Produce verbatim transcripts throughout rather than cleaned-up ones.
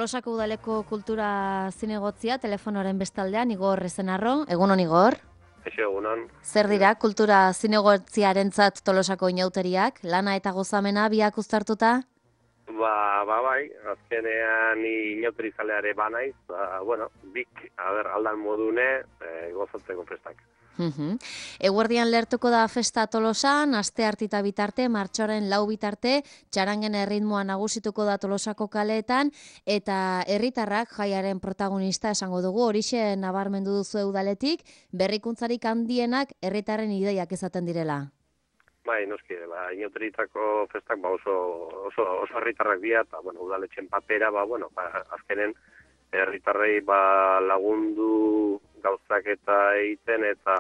Tolosako udaleko kultura zinegotzia, telefonoren bestaldean, Igor Ezenarro. Egunon, Igor? Eixo, egunon. Zer dira kultura zinegotziarentzat Tolosako inauteriak? Lana eta gozamena biak uztartuta? Ba, ba, bai, azkenean ni inauterizaleare banaiz, ba, bueno, bik, a ber, aldan modune, e, gozatzeko festak. Uhum. Eguerdian lehertuko da festa Tolosan, aste hartita bitarte, martxoaren lau bitarte, txarangen erritmoa nagusituko da Tolosako kaleetan, eta herritarrak jaiaren protagonista esango dugu, horixe nabarmendu duzu udaletik, berrikuntzarik handienak herritarren ideiak izaten direla. Bai, noski, ba, inauteritako festak ba, oso, oso, oso herritarrak dira, eta, bueno, udaletxen papera, ba, bueno, ba, azkenen herritarrei ba, lagundu gauzak eta egiten eta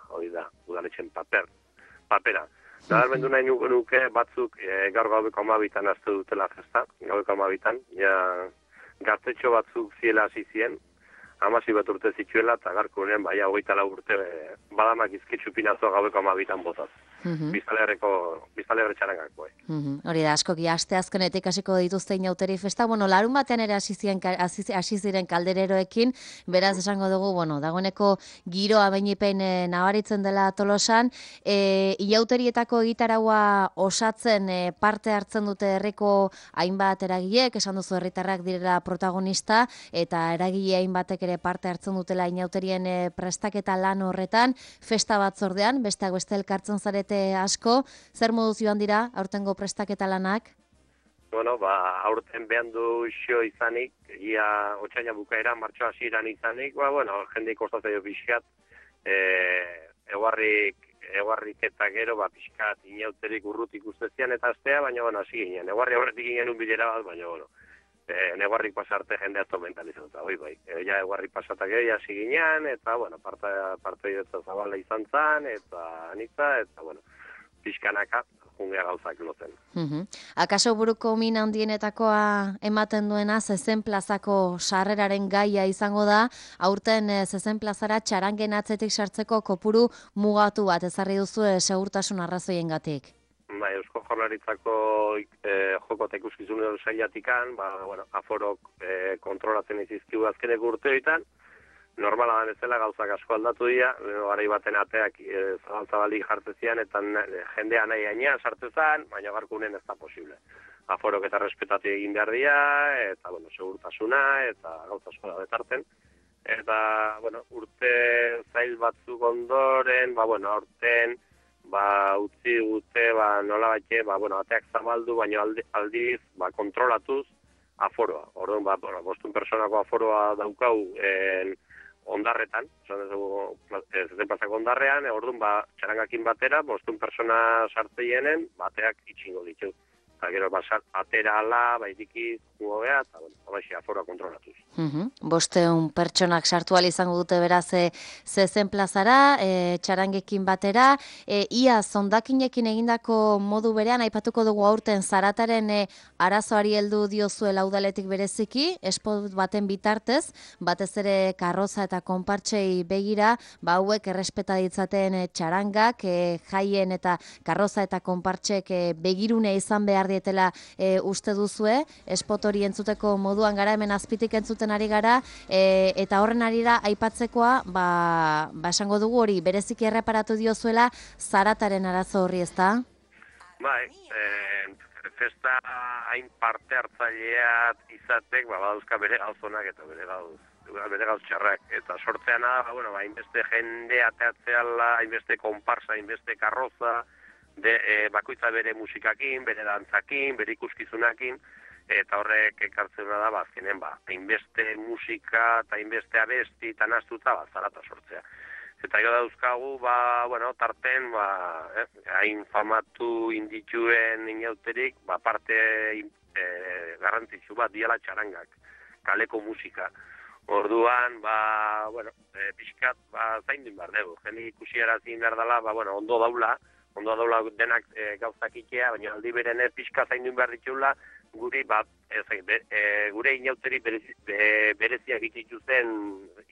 hori da, udaletxen paper, papera. Nabarmendu nahi nuke batzuk e, gaur gaubeko amabitan azte dutela festa, gaubeko amabitan, ja gaztetxo batzuk ziela hasi zien, amasi bat urte zituela eta garkunen baina hogeita lau urte e, badamak izkitzu pinazua gaubeko amabitan botaz. Mm-hmm. Biztalerreko, biztalerre txarangako. Eh. Mm-hmm. Hori da, askoki aste azkenetik hasiko dituzte inauteri festa. Bueno, larun batean ere hasi ziren kaldereroekin, beraz esango dugu, bueno, dagoeneko giroa beinipen e, nabaritzen dela Tolosan. E, inauterietako egitaraua osatzen e, parte hartzen dute herriko hainbat eragileek, esan duzu herritarrak direla protagonista, eta eragile hainbatek ere parte hartzen dutela inauterien e, prestaketa lan horretan, festa batzordean, besteak beste elkartzen zarete asko, zer moduz joan dira aurtengo prestaketa lanak? Bueno, ba, aurten behan du xio izanik, ia otxaina bukaera, martxoa hasieran izanik, ba, bueno, jende kostatzea pixkat, e, eguarrik, eguarrik eta gero, ba, pixkat, inauterik urrutik ustezian eta astea, baina, bueno, hasi ginen, eguarri aurretik ginen un bilera bat, baina, bueno, e, eguarrik pasarte jende ato mentalizatuta, oi, bai, e, ja eguarrik pasatak ere hasi ginen, eta, bueno, parte, parte idetza zabala izan zan, eta anitza, eta, bueno, pixkanaka, jungea gauzak lotzen. Uhum. Akaso buruko min handienetakoa ematen duena zezen plazako sarreraren gaia izango da, aurten zezen plazara txarangen atzetik sartzeko kopuru mugatu bat ezarri duzu segurtasun arrazoiengatik. Ba, Eusko Jaurlaritzako e, joko eta ikuskizunen sailatikan, ba, bueno, aforok e, kontrolatzen izizkigu azkeneko urteoitan, normala da bezala gauzak asko aldatu dira, garai baten ateak e, zabaltzabalik jartzezian, eta jendea nahi gainean sartzezan, baina garkunen ez da posible. Aforok eta respetatu egin behar dira, eta, bueno, segurtasuna, eta gauza asko da betarten. Eta, bueno, urte zail batzuk ondoren, ba, bueno, aurten, ba, utzi gute, ba, nola batxe, ba, bueno, ateak zabaldu, baina aldi, aldiz, ba, kontrolatuz, aforoa. Orduan, ba, bostun personako aforoa daukau, en, ondarretan, esan dugu, zezen plazako ondarrean, orduan, ba, txarangakin batera, bostun persona sartzeienen, bateak itxingo ditu. Eta gero, ba, atera ala, baitikiz, gugobea, eta, bueno, abaixe, aforoa kontrolatuz. Uhum. Bosteun pertsonak sartu ahal izango dute beraz e, zezen plazara, e, txarangekin batera, e, ia zondakinekin egindako modu berean, aipatuko dugu aurten zarataren e, arazoari heldu diozuela udaletik bereziki, espot baten bitartez, batez ere karroza eta konpartsei begira, ba hauek errespeta ditzaten e, txarangak, e, jaien eta karroza eta konpartsek e, begirune izan behar dietela e, uste duzue, espot hori entzuteko moduan gara, hemen azpitik entzuten ari gara, e, eta horren arira aipatzekoa, ba, ba esango dugu hori, bereziki erreparatu diozuela zarataren arazo horri, ezta? Bai, e, festa hain parte hartzaileat izatek, ba, badauzka bere gauzonak eta bere gauz, bere gauz txarrak, eta sortzean da, ba, bueno, ba, hainbeste jende ateatzeala, hainbeste konparsa, hainbeste karroza, de, e, bakoitza bere musikakin, bere dantzakin, bere ikuskizunakin, eta horrek ekartzen da, ba, azkenen, ba, hainbeste musika eta hainbeste abesti eta naztuta, ba, zarata sortzea. Eta gero dauzkagu, ba, bueno, tarten, ba, eh, hain famatu indituen inauterik, ba, parte e, garrantzitsu bat diala txarangak, kaleko musika. Orduan, ba, bueno, e, pixkat, ba, zaindun behar dugu. Jende ikusiarazin behar dela, ba, bueno, ondo daula, ondo daula denak e, gauzak ikea, baina aldi berene pixka zaindun behar ditula, guri bat ez, be, e, gure inauteri berezi, be, bereziak itituzen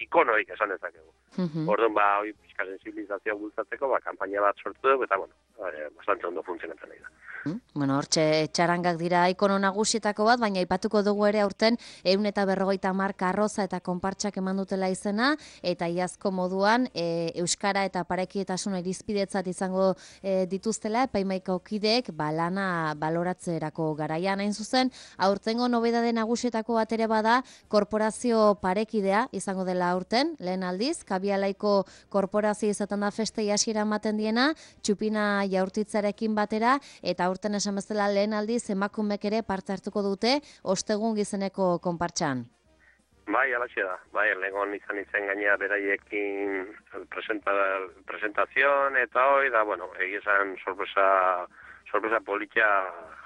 ikonoik esan dezakegu. Mm-hmm. Orduan, ba, hoi pixka sensibilizazioa bultzatzeko, ba, kanpaina bat sortu dugu, eta, bueno, e, bastante ondo funtzionatzen nahi da. Mm? Bueno, hortxe txarangak dira ikono nagusietako bat, baina aipatuko dugu ere aurten ehun eta berrogeita hamar karroza eta konpartsak eman dutela izena, eta iazko moduan e, euskara eta parekietasun irizpidetzat izango e, dituztela epaimaiko kideek ba, lana baloratzerako garaian hain zuzen. Aurtengo nobedade nagusietako bat ere bada korporazio parekidea izango dela aurten, lehen aldiz, Kabialaiko korporazio izaten da festei hasiera ematen diena, txupina jaurtitzarekin batera, eta aurten esan bezala lehen aldiz emakumek ere parte hartuko dute ostegun gizeneko konpartxan. Bai, alaxe da. Bai, legon izan izan gainea beraiekin presenta, presentazion eta hoi, da, bueno, egizan sorpresa, sorpresa politia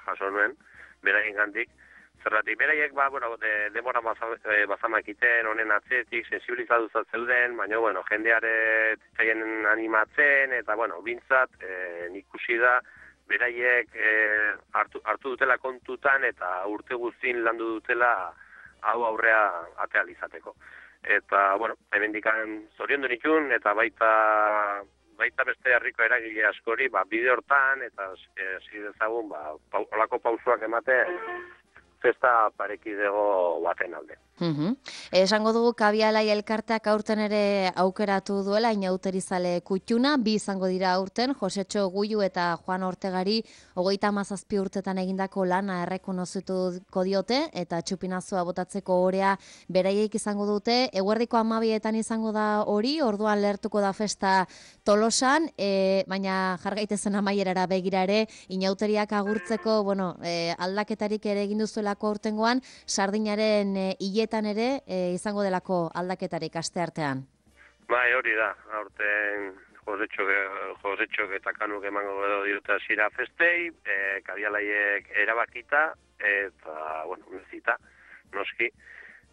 jaso nuen, beraien gandik. Zerratik, beraiek, ba, bueno, de, demora bazamakiten, honen atzetik, sensibilizatu zeuden, baina, bueno, jendeare tzaien animatzen, eta, bueno, bintzat, e, ikusi da, beraiek e, hartu, hartu dutela kontutan, eta urte guztin landu dutela hau aurrea ateal izateko. Eta, bueno, hemendikan zorion du nitun, eta baita baita beste herriko eragile askori, ba, bide hortan, eta hasi dezagun, ba, pa, olako pausuak emate, festa parekidego baten alde. Uhum. Esango dugu Kabialai elkarteak aurten ere aukeratu duela inauterizale kutxuna, bi izango dira aurten, Josetxo Guiu eta Juan Ortegari hogeita hamazazpi urtetan egindako lana errekonozituko diote, eta txupinazua botatzeko orea beraiek izango dute, eguerdiko hamabietan izango da hori, orduan lertuko da festa Tolosan, e, baina jargaitezen amaierara begira ere, inauteriak agurtzeko, bueno, e, aldaketarik ere egin duzuelako aurtengoan, sardinaren e, hiletan ere e, izango delako aldaketarik asteartean. Bai, hori da, aurten Josetxok eta Kanuk emango edo diote hasiera festei, e, Kabialaiek erabakita, eta, bueno, nezita, noski.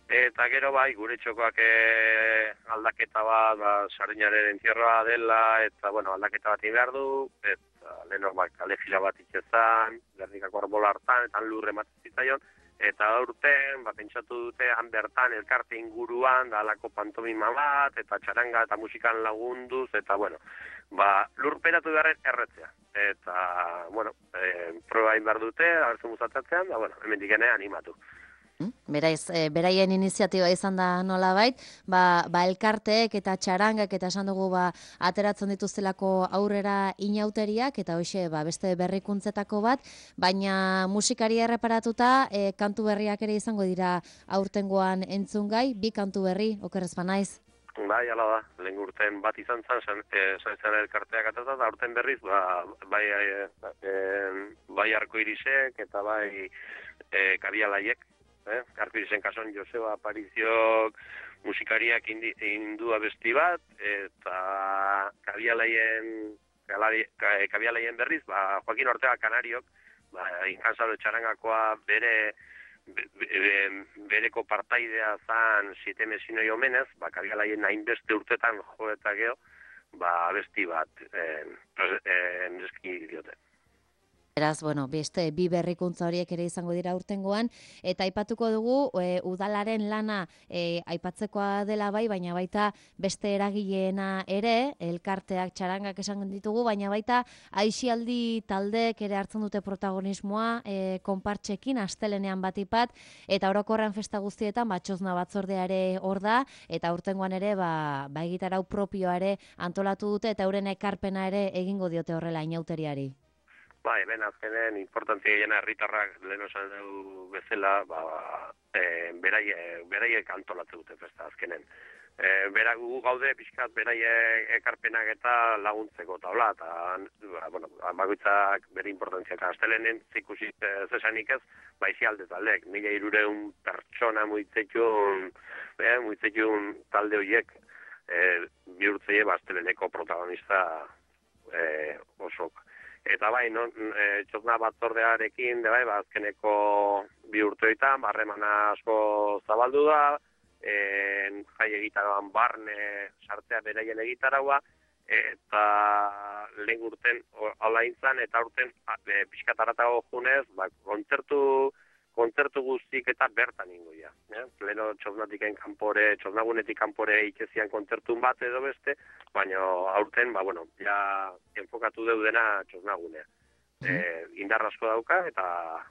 Eta gero bai, gure txokoak e, aldaketa bat, ba, sardinaren entierroa dela, eta, bueno, aldaketa bat behar du, eta lehenok bak, kale jira bat itxezan, Gernikako arbola hartan, eta lurre ematen zitzaion, eta aurten, ba, pentsatu dute, han bertan elkarte inguruan, da alako pantomima bat, eta txaranga eta musikan lagunduz, eta, bueno, ba, lurperatu beharren erretzea. Eta, bueno, e, proba behar dute, abertzen muzatatzean, da, bueno, hemen dikene animatu. Beraz, e, beraien iniziatiba izan da nolabait, ba, ba elkarteek eta txarangak eta esan dugu ba, ateratzen dituztelako aurrera inauteriak, eta hoxe ba, beste berrikuntzetako bat, baina musikari erreparatuta e, kantu berriak ere izango dira aurtengoan entzungai, bi kantu berri, okerrez banaiz. Bai, ala da, lehen urten bat izan zan, zan e, elkarteak atata, da aurten berriz, ba, bai, e, e, bai arko irisek eta bai e, Kabialaiek. Eh? Arpizen kason Joseba Apariziok musikariak indi, indu abesti bat, eta Kabialaien, Kabialaien berriz, ba, Joaquin Ortega Kanariok, ba, inkansalo txarangakoa bere, be, be, bereko partaidea zan siete mesinoi omenez, ba, Kabialaien hainbeste urtetan jo eta geho, ba, abesti bat eh, eh, neski diote. Beraz, bueno, beste bi berrikuntza horiek ere izango dira urtengoan, eta aipatuko dugu e, udalaren lana e, aipatzekoa dela bai, baina baita beste eragileena ere, elkarteak txarangak esan ditugu, baina baita aisialdi taldeek ere hartzen dute protagonismoa e, konpartxekin, astelenean batipat, eta orokorrean festa guztietan, batxozna batzordea ere hor da, eta urtengoan ere, ba, ba egitarau propioa ere antolatu dute, eta euren ekarpena ere egingo diote horrela inauteriari. Bai, ben azkenen, importantzia jena herritarrak lehen osan dugu bezala, ba, e, beraie, beraiek antolatzen dute festa azkenen. E, bera gu gaude pixkat beraie ekarpenak eta laguntzeko taula, eta ba, bueno, bakoitzak bere importantzia, eta astelenen zikusi zesanik ez, baizi aldez aldek, mila irureun pertsona muitzetxun, eh, muitzetxun talde horiek, e, bihurtzeie ba, asteleneko protagonista e, osok. Eta bai, no, e, txosna batzordearekin, de bai, ba, azkeneko bi urteoitan, barremana asko zabaldu da, en, jai egitaroan barne sartzea beraien egitaraua, eta lehen urten hala intzan, eta urten e, pixkataratago junez, ba, kontzertu, kontzertu guztik eta bertan ingoia. Eh? Pleno txosnatiken kanpore, txosnagunetik kanpore ikezian kontzertun bat edo beste, baina aurten, ba, bueno, ja enfokatu deudena txosnagunea. Mm -hmm. eh, indar asko dauka eta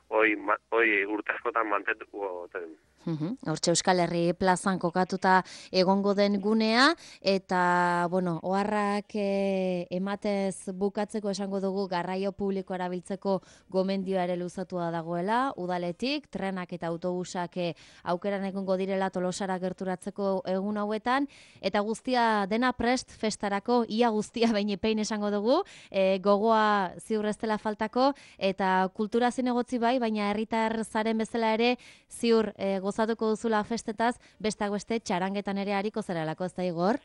hoi, hoi urte askotan mantentuko den. Uhum. Hortxe Euskal Herri plazan kokatuta egongo den gunea, eta, bueno, oharrak e, ematez bukatzeko esango dugu garraio publiko erabiltzeko gomendioa ere luzatua dagoela, udaletik, trenak eta autobusak e, aukeran egongo direla Tolosara gerturatzeko egun hauetan, eta guztia dena prest festarako, ia guztia baina pein esango dugu, e, gogoa ziur ez dela faltako, eta kultura zinegotzi bai, baina herritar zaren bezala ere ziur e, gozatuko duzula festetaz, besteak beste txarangetan ere hariko zeralako, ez da Igor?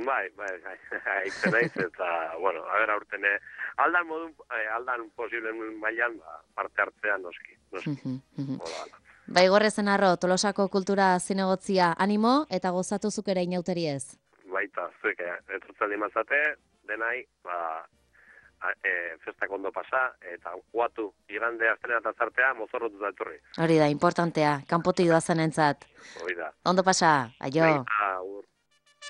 Bai, bai, bai, haitzen naiz, eta, bueno, a ber, aurten, eh, aldan modun, eh, aldan posiblen mailan, ba, parte hartzean noski, noski. Hola, Ba, Igor Ezenarro, Tolosako kultura zinegotzia animo, eta gozatu zuk ere inauteri ez? Baita, zuek, eh, etortzaldi mazate, denai, ba, E, festak ondo pasa, eta guatu igande astena eta zartea mozorrotu da etorri. Hori da, importantea, kanpotik doazen entzat. Hori da. Ondo pasa, aio.